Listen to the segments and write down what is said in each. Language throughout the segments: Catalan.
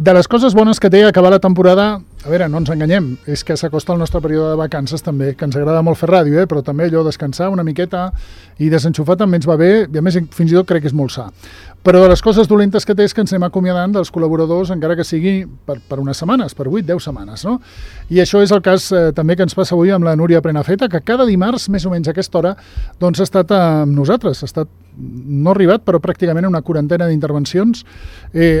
De les coses bones que té acabar la temporada, a veure, no ens enganyem, és que s'acosta el nostre període de vacances també, que ens agrada molt fer ràdio, però també allò descansar una miqueta i desenxufar també ens va bé, i a més fins i tot crec que és molt sa. Però de les coses dolentes que té és que ens anem acomiadant dels col·laboradors, encara que sigui per unes setmanes, per 8-10 setmanes, no? I això és el cas també que ens passa avui amb la Núria Prenafeta, que cada dimarts, més o menys a aquesta hora, doncs ha estat amb nosaltres, ha estat, no ha arribat, però pràcticament una quarantena d'intervencions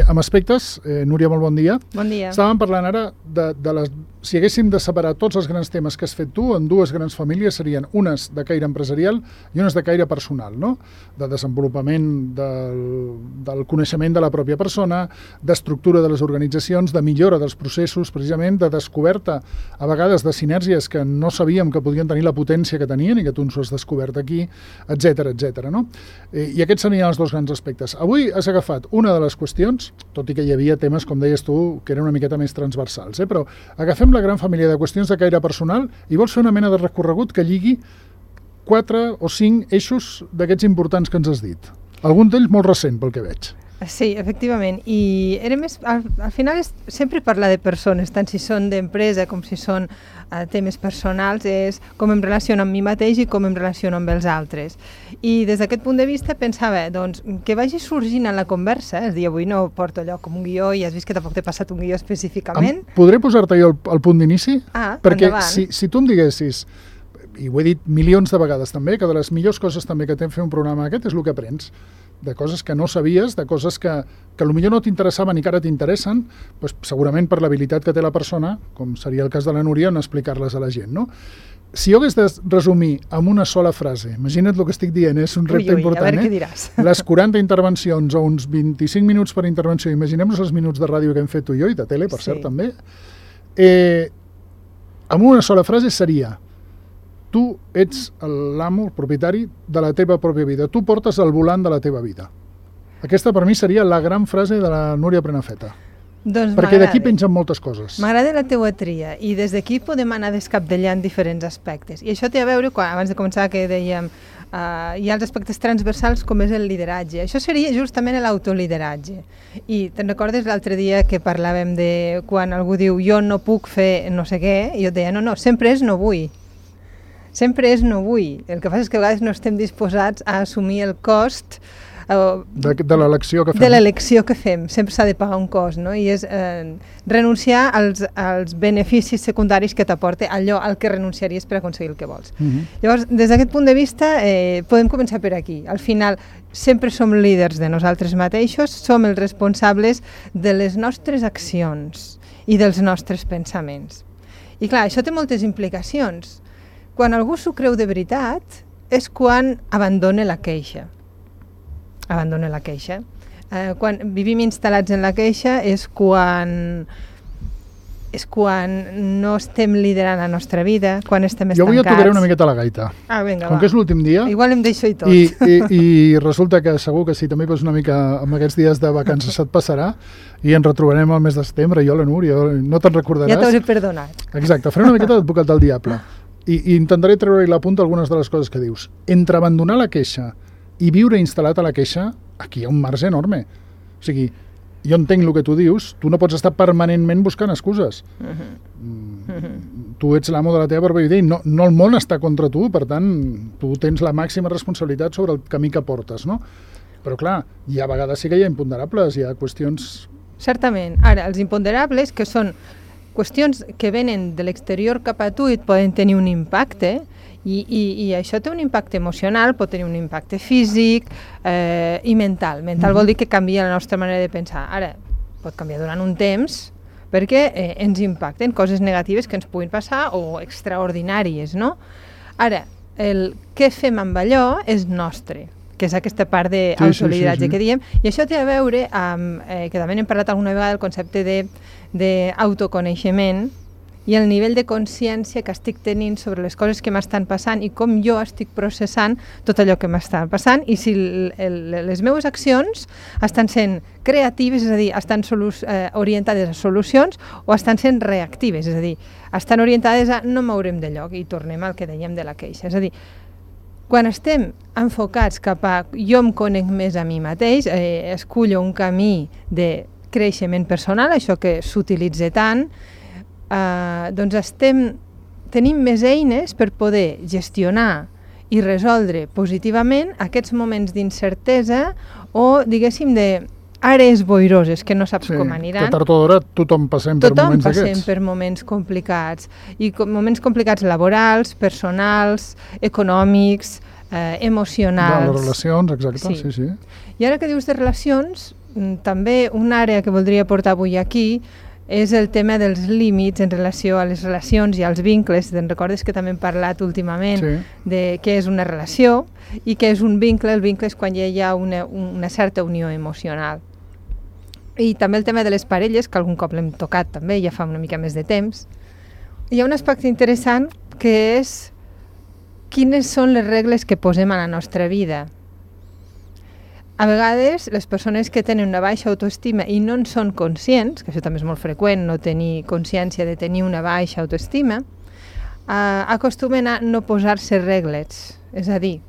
amb aspectes. Núria, molt bon dia. Bon dia. Estàvem parlant ara de les... Si haguéssim de separar tots els grans temes que has fet tu en dues grans famílies, serien unes de caire empresarial i unes de caire personal, no? De desenvolupament del coneixement de la pròpia persona, d'estructura de les organitzacions, de millora dels processos, precisament, de descoberta, a vegades, de sinergies que no sabíem que podien tenir la potència que tenien i que tu ens ho has descobert aquí, etc., no? I aquests serien els dos grans aspectes. Avui has agafat una de les qüestions, tot i que hi havia temes, com deies tu, que eren una miqueta més transversals, però agafem la gran família de qüestions de caire personal i vols fer una mena de recorregut que lligui 4 o 5 eixos d'aquests importants que ens has dit. Algun d'ells molt recent, pel que veig. Sí, efectivament. I era més, al final és sempre parlar de persones, tant si són d'empresa com si són temes personals, és com em relaciono amb mi mateix i com em relaciono amb els altres. I des d'aquest punt de vista pensava, doncs, que vagi sorgint en la conversa, és a dir, avui no porto allò com un guió i has vist que tampoc t'he passat un guió específicament. Podré posar-te jo el punt d'inici? Perquè endavant. si tu em diguessis, i ho he dit milions de vegades també, que de les millors coses també que té fer un programa aquest és el que aprens, de coses que no sabies, de coses que potser no t'interessaven i que ara t'interessen, doncs segurament per l'habilitat que té la persona, com seria el cas de la Núria, en explicar-les a la gent, no? Si jo hagués de resumir amb una sola frase, imagina't el que estic dient, és un repte important, a veure què diràs. Les 40 intervencions o uns 25 minuts per intervenció, imaginem-nos els minuts de ràdio que hem fet tu i jo, i de tele, per cert, també, amb una sola frase seria: tu ets l'amo, el propietari de la teva pròpia vida. Tu portes el volant de la teva vida. Aquesta per mi seria la gran frase de la Núria Prenafeta. Doncs perquè d'aquí pengen moltes coses. M'agrada la teua tria i des d'aquí podem anar descapdellant diferents aspectes. I això té a veure, abans de començar que dèiem, hi ha els aspectes transversals com és el lideratge. Això seria justament l'autolideratge. I te'n recordes l'altre dia que parlàvem de quan algú diu jo no puc fer no sé què, i jo et deia no, sempre és no vull. Sempre és no vull. El que passa és que a vegades no estem disposats a assumir el cost de l'elecció que fem. De l'elecció que fem. Sempre s'ha de pagar un cost, no? I és renunciar als beneficis secundaris que t'aporta allò al que renunciaries per aconseguir el que vols. Llavors, des d'aquest punt de vista, podem començar per aquí. Al final, sempre som líders de nosaltres mateixos, som els responsables de les nostres accions i dels nostres pensaments. I clar, això té moltes implicacions. Quan algú s'ho creu de veritat és quan abandona la queixa. Abandona la queixa. Quan vivim instal·lats en la queixa és quan no estem liderant la nostra vida, quan estem estancats. Jo avui et tocaré una miqueta la gaita. Vinga, com que és l'últim dia... Igual em deixo i tot. I resulta que segur que si també vas una mica amb aquests dies de vacances se't passarà i ens retrobarem al mes de setembre, jo la Núria, no te'n recordaràs. Ja t'hauré perdonat. Exacte, faré una miqueta d'advocat del diable. I intentaré treure-hi la punta algunes de les coses que dius. Entre abandonar la queixa i viure instal·lat a la queixa, aquí hi ha un marge enorme. O sigui, jo entenc el que tu dius, tu no pots estar permanentment buscant excuses. Tu ets l'amo de la teva pròpia vida i no el món està contra tu, per tant, tu tens la màxima responsabilitat sobre el camí que portes, no? Però clar, hi ha vegades sí que hi ha imponderables, hi ha qüestions... Certament. Ara, els imponderables, que són qüestions que venen de l'exterior cap a tu i et poden tenir un impacte, i això té un impacte emocional, pot tenir un impacte físic i mental. Mental vol dir que canvia la nostra manera de pensar. Ara, pot canviar durant un temps perquè ens impacten coses negatives que ens puguin passar o extraordinàries, no? Ara, el què fem amb allò és nostre, que és aquesta part d'autolideratge que diem, i això té a veure amb, que també n'hem parlat alguna vegada, el concepte d'autoconeixement i el nivell de consciència que estic tenint sobre les coses que m'estan passant i com jo estic processant tot allò que m'està passant i si les meves accions estan sent creatives, és a dir, estan orientades a solucions o estan sent reactives, és a dir, estan orientades a no mourem de lloc i tornem al que dèiem de la queixa. És a dir, quan estem enfocats cap a jo em conec més a mi mateix, escullo un camí de creixement personal, això que s'utilitza tant, doncs tenim més eines per poder gestionar i resoldre positivament aquests moments d'incertesa o, diguéssim, d'àrees boiroses que no saps com aniran. Que tard o d'hora tothom passem per moments d'aquests. Tothom passem per moments complicats. I moments complicats laborals, personals, econòmics, emocionals. De les relacions, exacte, sí. I ara que dius de relacions, també una àrea que voldria portar avui aquí és el tema dels límits en relació a les relacions i als vincles. Te'n recordes que també hem parlat últimament de què és una relació i què és un vincle. El vincle és quan ja hi ha una certa unió emocional. I també el tema de les parelles, que algun cop l'hem tocat també, ja fa una mica més de temps. Hi ha un aspecte interessant que és quines són les regles que posem a la nostra vida. A vegades, les persones que tenen una baixa autoestima i no en són conscients, que això també és molt freqüent, no tenir consciència de tenir una baixa autoestima, acostumen a no posar-se regles. És a dir,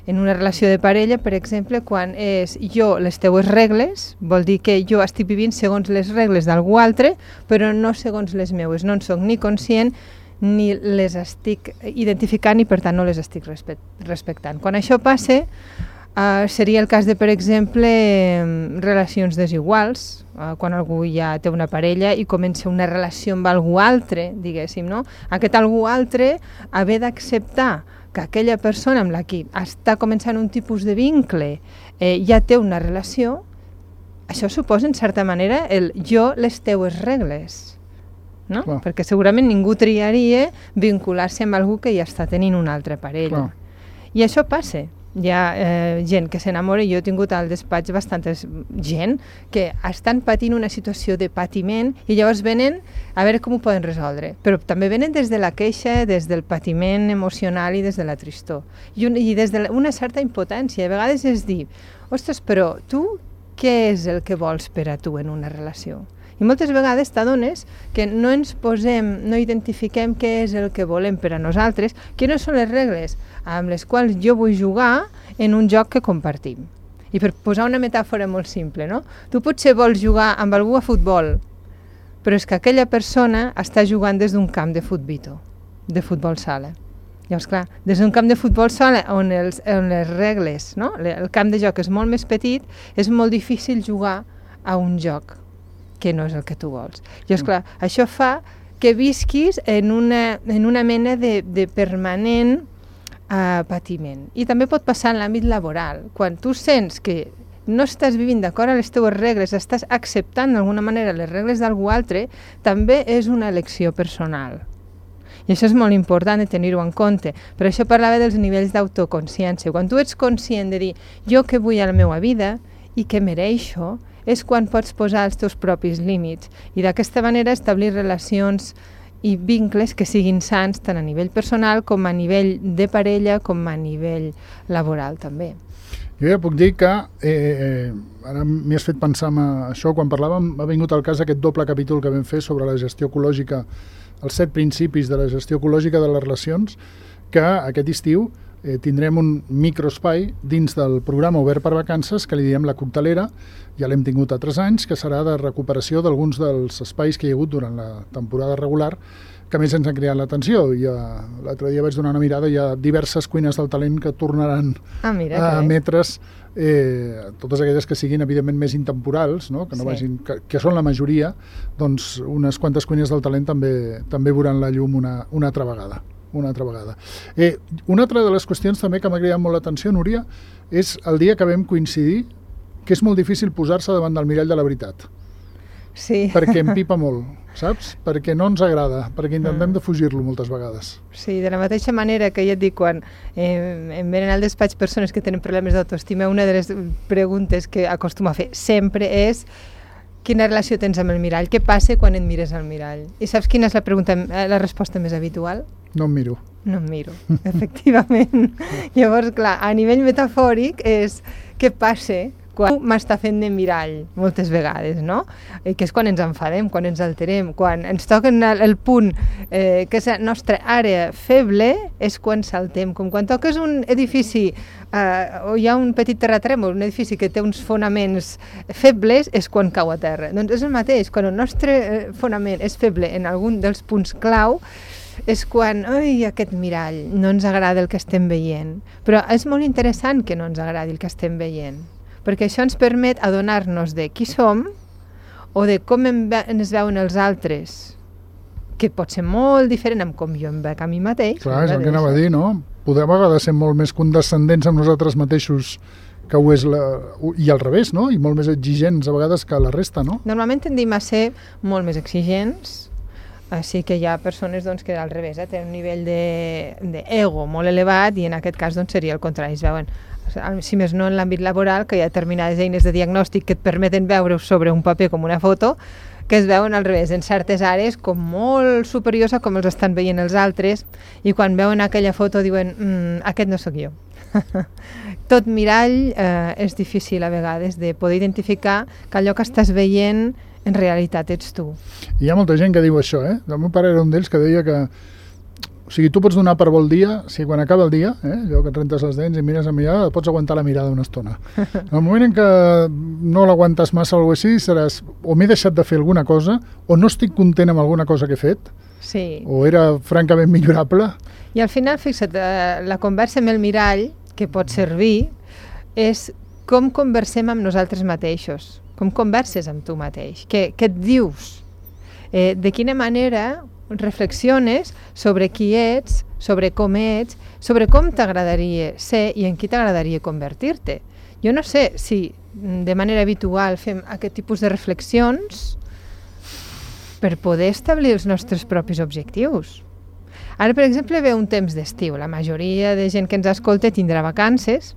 en una relació de parella, per exemple, quan és jo les teues regles, vol dir que jo estic vivint segons les regles d'algú altre, però no segons les meues. No en soc ni conscient ni les estic identificant i, per tant, no les estic respectant. Quan això passa, seria el cas de, per exemple, relacions desiguals, quan algú ja té una parella i comença una relació amb algú altre, diguéssim, no? Aquest algú altre haver d'acceptar que aquella persona amb la que està començant un tipus de vincle ja té una relació, això suposa, en certa manera, el jo les teues regles, no? Clar. Perquè segurament ningú triaria vincular-se amb algú que ja està tenint una altra parella. Clar. I això passa. Hi ha gent que s'enamora, i jo he tingut al despatx bastanta gent que estan patint una situació de patiment i llavors venen a veure com ho poden resoldre. Però també venen des de la queixa, des del patiment emocional i des de la tristor. I des d'una certa impotència. A vegades és dir, ostres, però tu què és el que vols per a tu en una relació? I moltes vegades t'adones que no ens posem, no identifiquem què és el que volem per a nosaltres, quines són les regles amb les quals jo vull jugar en un joc que compartim. I per posar una metàfora molt simple, no? Tu potser vols jugar amb algú a futbol, però és que aquella persona està jugant des d'un camp de futbol sala. Llavors, clar, des d'un camp de futbol sala on les regles, no? El camp de joc és molt més petit, és molt difícil jugar a un joc que no és el que tu vols. Llavors, clar, això fa que visquis en una mena de permanent patiment. I també pot passar en l'àmbit laboral. Quan tu sents que no estàs vivint d'acord a les teves regles, estàs acceptant d'alguna manera les regles d'algú altre, també és una elecció personal. I això és molt important de tenir-ho en compte. Per això parlava dels nivells d'autoconsciència. Quan tu ets conscient de dir jo què vull a la meva vida i què mereixo, és quan pots posar els teus propis límits i d'aquesta manera establir relacions i vincles que siguin sans tant a nivell personal com a nivell de parella com a nivell laboral també. Jo ja puc dir que ara m'hi has fet pensar en això, quan parlàvem ha vingut al cas aquest doble capítol que vam fer sobre la gestió ecològica, els 7 principis de la gestió ecològica de les relacions, que aquest estiu tindrem un microespai dins del programa Obert per Vacances que li diem La Coctelera, ja l'hem tingut a 3 anys, que serà de recuperació d'alguns dels espais que hi ha hagut durant la temporada regular que més ens han creat l'atenció. L'altre dia vaig donar una mirada, hi ha diverses cuines del talent que tornaran a emetre's, totes aquelles que siguin evidentment més intemporals, no? Que no vagin, que són la majoria, doncs unes quantes cuines del talent també veuran la llum una altra vegada. Una altra de les qüestions també que m'ha cridat molt l'atenció, Núria, és el dia que vam coincidir que és molt difícil posar-se davant del mirall de la veritat. Sí. Perquè empipa molt, saps? Perquè no ens agrada, perquè intentem de fugir-lo moltes vegades. Sí, de la mateixa manera que ja et dic, quan em venen al despatx persones que tenen problemes d'autoestima, una de les preguntes que acostumo a fer sempre és quina relació tens amb el mirall? Què passa quan et mires al mirall? I saps quina és la resposta més habitual? No em miro. No em miro, efectivament. Llavors, clar, a nivell metafòric és què passa quan m'està fent de mirall, moltes vegades, no? Que és quan ens enfadem, quan ens alterem, quan ens toquen el punt que és la nostra àrea feble, és quan saltem. Com quan toques un edifici o hi ha un petit terratrèmol, un edifici que té uns fonaments febles, és quan cau a terra. Doncs és el mateix, quan el nostre fonament és feble en algun dels punts clau, és quan, aquest mirall, no ens agrada el que estem veient. Però és molt interessant que no ens agradi el que estem veient, perquè això ens permet adonar-nos de qui som o de com ens veuen els altres, que pot ser molt diferent amb com jo em veig a mi mateix. Clar, és el que anava a dir, no? Podem a vegades ser molt més condescendents amb nosaltres mateixos que ho és i al revés, no? I molt més exigents a vegades que la resta, no? Normalment tendim a ser molt més exigents. Sí que hi ha persones doncs, que al revés tenen un nivell d'ego molt elevat i en aquest cas doncs, seria el contrari. Es veuen, si més no en l'àmbit laboral, que hi ha determinades eines de diagnòstic que et permeten veure sobre un paper com una foto, que es veuen al revés, en certes àrees com molt superiors a com els estan veient els altres, i quan veuen aquella foto diuen aquest no sóc jo. Tot mirall és difícil a vegades de poder identificar que allò que estàs veient en realitat ets tu. Hi ha molta gent que diu això, El meu pare era un d'ells que deia que o sigui, tu pots donar per bo el dia, si quan acaba el dia, allò que et rentes les dents i mires a mirar, pots aguantar la mirada una estona. En el moment en què no l'aguantes massa o alguna cosa així, seràs o m'he deixat de fer alguna cosa, o no estic content amb alguna cosa que he fet, sí. O era francament millorable. I al final, fixa't, la conversa amb el mirall, que pot servir, és com conversem amb nosaltres mateixos. Com converses amb tu mateix? Què et dius? De quina manera reflexiones sobre qui ets, sobre com ets, sobre com t'agradaria ser i en qui t'agradaria convertir-te. Jo no sé si de manera habitual fem aquest tipus de reflexions per poder establir els nostres propis objectius. Ara, per exemple, ve un temps d'estiu. La majoria de gent que ens escolta tindrà vacances,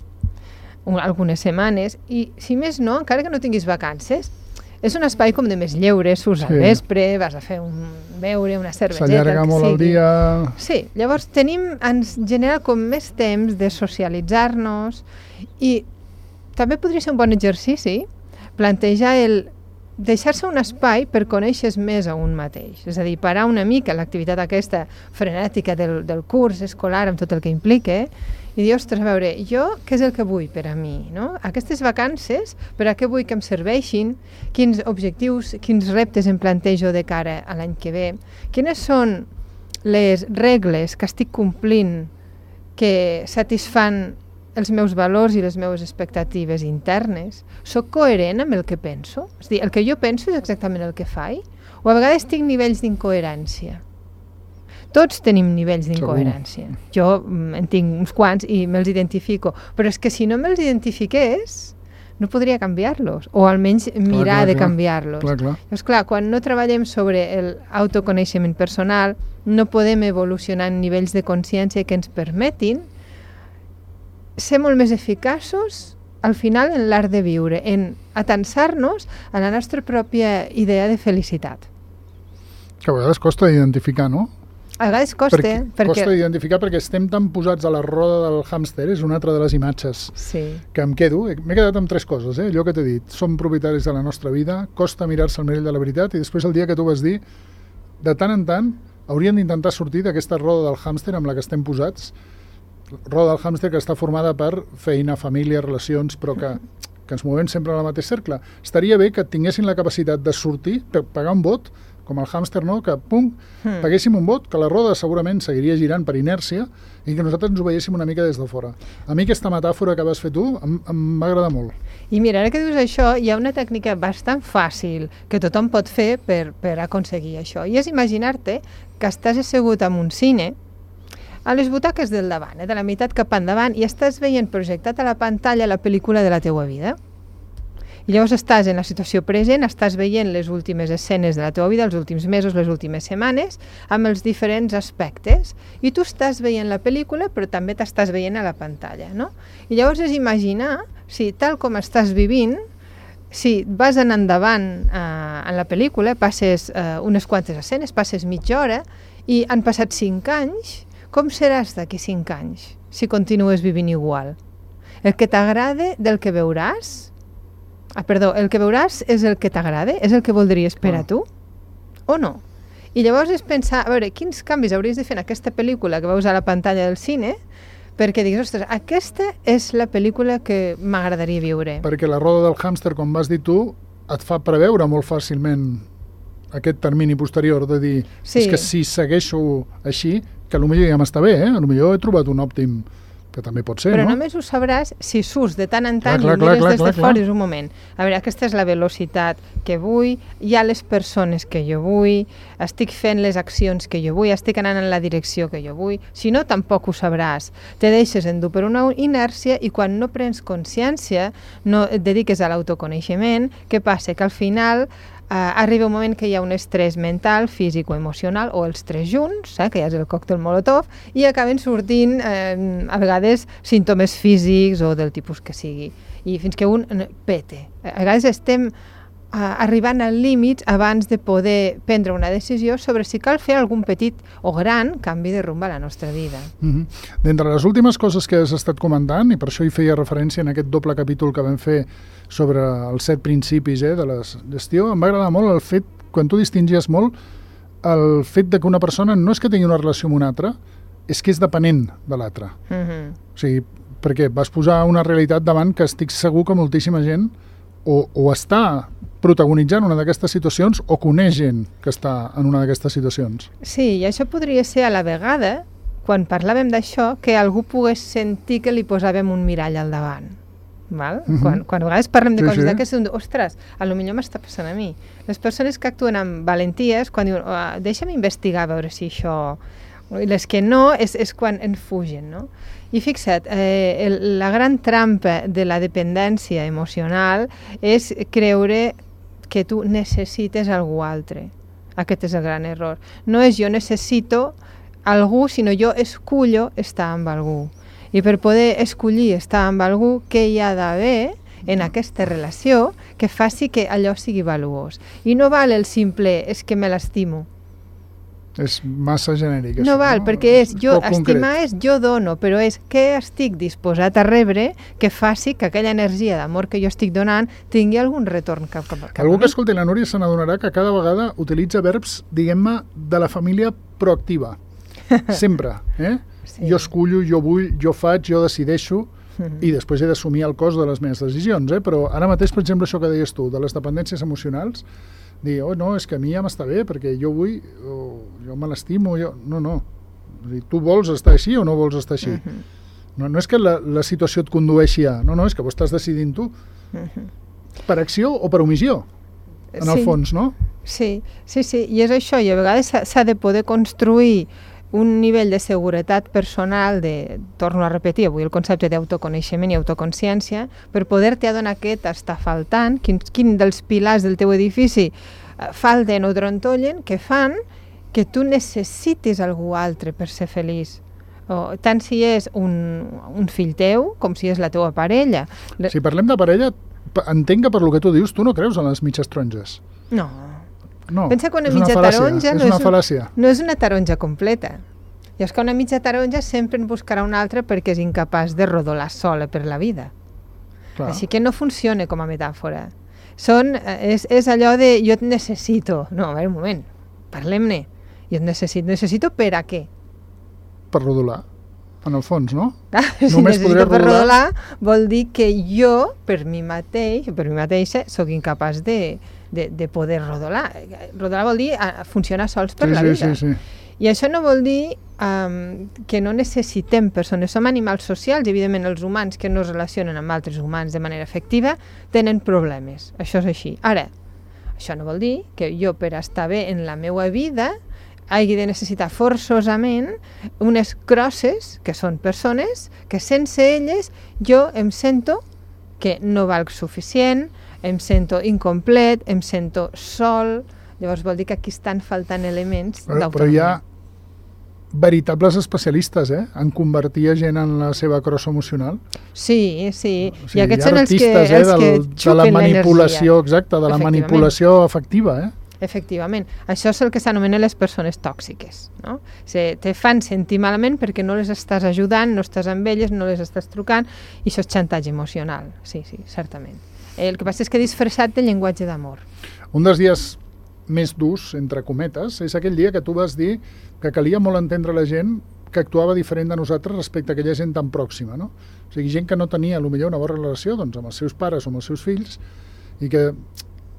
algunes setmanes, i si més no, encara que no tinguis vacances, és un espai com de més lleure, surts al vespre, vas a fer un beure, una cerveseta... S'allarga molt el dia... Sí, llavors ens genera com més temps de socialitzar-nos i també podria ser un bon exercici plantejar deixar-se un espai per conèixer més a un mateix, és a dir, parar una mica l'activitat aquesta frenètica del curs escolar amb tot el que implica i dir, ostres, a veure, jo què és el que vull per a mi, no? Aquestes vacances, per a què vull que em serveixin, quins objectius, quins reptes em plantejo de cara a l'any que ve, quines són les regles que estic complint que satisfan els meus valors i les meves expectatives internes, soc coherent amb el que penso? És a dir, el que jo penso és exactament el que faig? O a vegades tinc nivells d'incoherència? Tots tenim nivells d'incoherència. Jo en tinc uns quants i me'ls identifico, però és que si no me'ls identifiqués, no podria canviar-los, o almenys mirar de canviar-los. Llavors, clar, quan no treballem sobre l'autoconeixement personal, no podem evolucionar en nivells de consciència que ens permetin ser molt més eficaços al final en l'art de viure, en atansar-nos a la nostra pròpia idea de felicitat. Que a vegades costa identificar, no? A vegades costa, perquè... Costa identificar perquè estem tan posats a la roda del hàmster, és una altra de les imatges que em quedo. M'he quedat amb 3 coses, allò que t'he dit. Som propietaris de la nostra vida, costa mirar-se al mirall de la veritat, i després el dia que tu vas dir, de tant en tant, hauríem d'intentar sortir d'aquesta roda del hàmster amb la que estem posats, roda del hàmster que està formada per feina, família, relacions, però que ens movem sempre en el mateix cercle. Estaria bé que tinguessin la capacitat de sortir, per pagar un vot, com el hàmster, no? Que, paguéssim un vot, que la roda segurament seguiria girant per inèrcia i que nosaltres ens ho veiéssim una mica des de fora. A mi aquesta metàfora que vas fer tu em va agradar molt. I mira, ara que dius això, hi ha una tècnica bastant fàcil que tothom pot fer per aconseguir això. I és imaginar-te que estàs assegut en un cine, a les butaques del davant, de la meitat cap endavant, i estàs veient projectat a la pantalla la pel·lícula de la teua vida. I llavors estàs en la situació present, estàs veient les últimes escenes de la teva vida, els últims mesos, les últimes setmanes, amb els diferents aspectes, i tu estàs veient la pel·lícula, però també t'estàs veient a la pantalla, no? I llavors és imaginar si tal com estàs vivint, si vas anar endavant en la pel·lícula, passes unes quantes escenes, passes mitja hora, i han passat 5 anys, com seràs d'aquí 5 anys, si continues vivint igual? El que t'agrada del que veuràs el que veuràs és el que t'agrada? És el que voldries per a tu? O no? I llavors és pensar, a veure, quins canvis hauries de fer en aquesta pel·lícula que veus a la pantalla del cine perquè diguis, ostres, aquesta és la pel·lícula que m'agradaria viure. Perquè la roda del hàmster, com vas dir tu, et fa preveure molt fàcilment aquest termini posterior de dir, és que si segueixo així, que potser ja m'està bé, potser he trobat un òptim, que també pot ser, però no? Però només ho sabràs si surts de tant en tant i mires des de fora i és un moment. A veure, aquesta és la velocitat que vull, hi ha les persones que jo vull, estic fent les accions que jo vull, estic anant en la direcció que jo vull. Si no, tampoc ho sabràs. Te deixes endur per una inèrcia i quan no prens consciència, no et dediques a l'autoconeixement, què passa? Que al final arriba un moment que hi ha un estrès mental, físic o emocional, o els tres junts, que ja és el còctel Molotov, i acaben sortint a vegades símptomes físics o del tipus que sigui. I fins que un pete. A vegades estem arribant al límit abans de poder prendre una decisió sobre si cal fer algun petit o gran canvi de rumb a la nostra vida. D'entre les últimes coses que has estat comentant, i per això hi feia referència en aquest doble capítol que vam fer sobre els 7 principis de la gestió, em va agradar molt el fet, quan tu distingies molt, el fet de que una persona no és que tingui una relació amb una altra, és que és depenent de l'altra. O sigui, perquè vas posar una realitat davant que estic segur que moltíssima gent o està protagonitzant una d'aquestes situacions o coneix gent que està en una d'aquestes situacions. Sí, i això podria ser a la vegada, quan parlàvem d'això, que algú pogués sentir que li posàvem un mirall al davant. Val? Quan a vegades parlem de coses d'aquestes, ostres, potser m'està passant a mi. Les persones que actuen amb valenties, quan diuen, deixa'm investigar a veure si això... I les que no, és quan en fugen, no? I fixa't, la gran trampa de la dependència emocional és creure que tu necessites algú altre. Aquest és el gran error. No és jo necessito algú, sinó jo escullo estar amb algú. I per poder escollir estar amb algú, què hi ha d'haver en aquesta relació que faci que allò sigui valuós? I no val el simple, és que me l'estimo. És massa genèric. No val, perquè estimar és jo dono, però és què estic disposat a rebre que faci que aquella energia d'amor que jo estic donant tingui algun retorn cap a mi. Algú que escolti la Núria se n'adonarà que cada vegada utilitza verbs, diguem-ne, de la família proactiva. Sempre. Sí. Jo escullo, jo vull, jo faig, jo decideixo, i després he d'assumir el cost de les meves decisions. Però ara mateix, per exemple, això que deies tu, de les dependències emocionals, dir, no, és que a mi ja m'està bé, perquè jo vull, jo me l'estimo, no. Tu vols estar així o no vols estar així? No és que la situació et condueixi a... No, és que ho estàs decidint tu. Per acció o per omissió, en el fons, no? Sí, i és això, i a vegades s'ha de poder construir un nivell de seguretat personal, torno a repetir avui el concepte d'autoconeixement i autoconsciència, per poder-te adonar què t'està faltant, quin dels pilars del teu edifici falten o trontollen, que fan que tu necessitis algú altre per ser feliç. Tant si és un fill teu com si és la teua parella. Si parlem de parella, entenc que per lo que tu dius tu no creus en les mitges taronges. No. Pensa que una és mitja taronja és una fal·làcia. No és una taronja completa. I és que una mitja taronja sempre en buscarà una altra perquè és incapaç de rodolar sola per la vida. Clar. Així que no funciona com a metàfora. És allò de jo et necessito. No, a veure, un moment, parlem-ne. Jo et necessito per a què? Per rodolar, en el fons, no? Si només necessito per rodolar vol dir que jo, per mi mateixa, sóc incapaç de poder rodolar. Rodolar vol dir funcionar sols per la vida. Sí. I això no vol dir que no necessitem persones. Som animals socials i, evidentment, els humans que no es relacionen amb altres humans de manera efectiva tenen problemes. Això és així. Ara, això no vol dir que jo, per estar bé en la meva vida, hagi de necessitar forçosament unes crosses, que són persones, que sense elles jo em sento que no valc suficient, em sento incomplet, em sento sol. Llavors vol dir que aquí estan faltant elements d'autonomia. Però hi ha veritables especialistes, en convertir a gent en la seva crossa emocional. Sí. O sigui, i aquests són els que xupen de la manipulació, exacte, de la manipulació afectiva, Efectivament. Això és el que s'anomena les persones tòxiques, no? Te fan sentir malament perquè no les estàs ajudant, no estàs amb elles, no les estàs trucant, i això és xantatge emocional. Sí, certament. El que passa és que disfressat de llenguatge d'amor. Un dels dies més durs, entre cometes, és aquell dia que tu vas dir que calia molt entendre la gent que actuava diferent de nosaltres respecte a aquella gent tan pròxima, no? O sigui, gent que no tenia, potser una bona relació doncs, amb els seus pares o amb els seus fills i que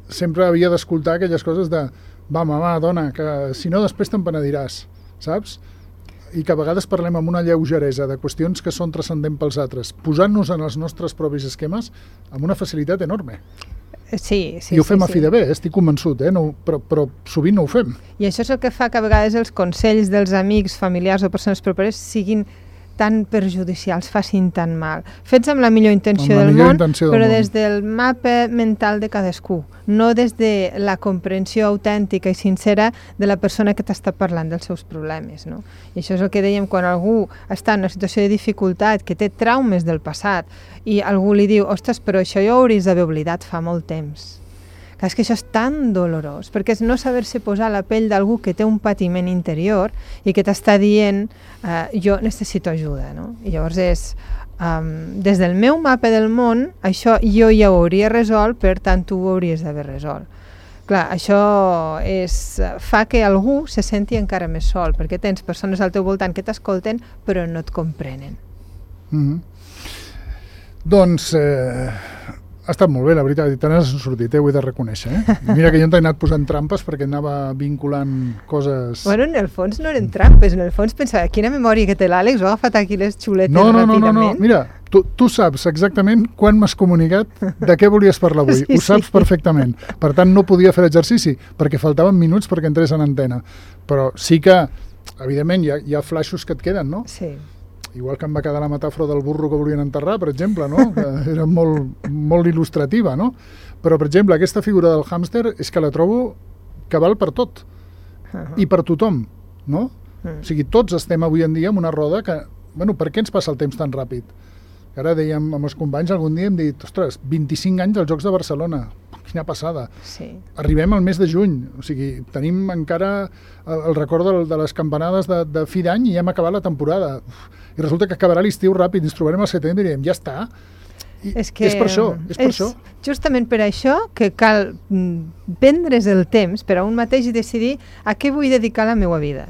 sempre havia d'escoltar aquelles coses de va, mama, dona, que si no després te'n penediràs, saps? I que a vegades parlem amb una lleugeresa de qüestions que són transcendents pels altres, posant-nos en els nostres propis esquemes amb una facilitat enorme. Sí, I ho fem a fi de bé, estic convençut, però sovint no ho fem. I això és el que fa que a vegades els consells dels amics, familiars o persones properes siguin tan perjudicials, facin tan mal. Fets amb la millor intenció del món, però des del mapa mental de cadascú, no des de la comprensió autèntica i sincera de la persona que t'està parlant dels seus problemes, no? I això és el que dèiem quan algú està en una situació de dificultat, que té traumes del passat, i algú li diu, ostres, però això ja ho hauries d'haver oblidat fa molt temps. És que això és tan dolorós, perquè és no saber-se posar a la pell d'algú que té un patiment interior i que t'està dient jo necessito ajuda, no? I llavors és, des del meu mapa del món, això jo ja ho hauria resolt, per tant tu ho hauries d'haver resolt. Clar, això fa que algú se senti encara més sol, perquè tens persones al teu voltant que t'escolten però no et comprenen. Doncs ha estat molt bé, la veritat, i te n'has sortit, ho he de reconèixer. Mira que jo t'he anat posant trampes perquè anava vinculant coses... Bueno, en el fons no eren trampes, en el fons pensava, quina memòria que té l'Àlex, ho ha agafat aquí les xuletes ràpidament. No, mira, tu saps exactament quan m'has comunicat de què volies parlar avui, ho saps perfectament. Per tant, no podia fer l'exercici, perquè faltaven minuts perquè entrés en antena. Però sí que, evidentment, hi ha flaixos que et queden, no? Sí. Igual que em va quedar la metàfora del burro que volien enterrar, per exemple, no? Que era molt il·lustrativa, no? Però, per exemple, aquesta figura del hàmster és que la trobo que val per tot i per tothom, no? O sigui, tots estem avui en dia en una roda que... Bueno, per què ens passa el temps tan ràpid? Ara dèiem amb els companys, algun dia hem dit, ostres, 25 anys als Jocs de Barcelona, quina passada. Sí. Arribem al mes de juny, o sigui, tenim encara el record de les campanades de fi d'any i hem acabat la temporada. I resulta que acabarà l'estiu ràpid, ens trobarem al setembre i direm, ja està. És per això, és per això. Justament per això que cal prendre's el temps per a un mateix i decidir a què vull dedicar la meva vida.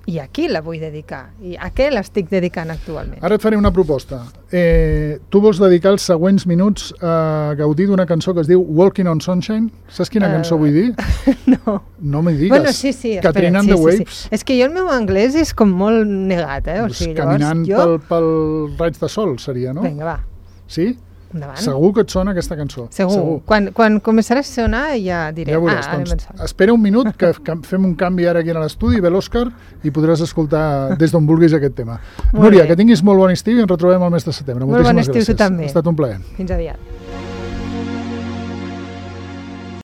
I a qui la vull dedicar, i a què l'estic dedicant actualment. Ara et faré una proposta. Tu vols dedicar els següents minuts a gaudir d'una cançó que es diu Walking on Sunshine? Saps quina cançó vull dir? No. No m'hi digues. Bueno, sí, Katrina and the Waves. És que jo el meu anglès és com molt negat, O sigui, caminant pel raig de sol seria, no? Vinga, va. Sí? Endavant. Segur que et sona aquesta cançó. Segur. Quan començarà a sonar ja diré. Ja veuràs, doncs, espera un minut que fem un canvi ara aquí a l'estudi, ve l'Òscar i podràs escoltar des d'on vulguis aquest tema. Núria, que tinguis molt bon estiu i ens retrobem el mes de setembre. Molt bon estiu tu també. Ha estat un plaer. Fins aviat.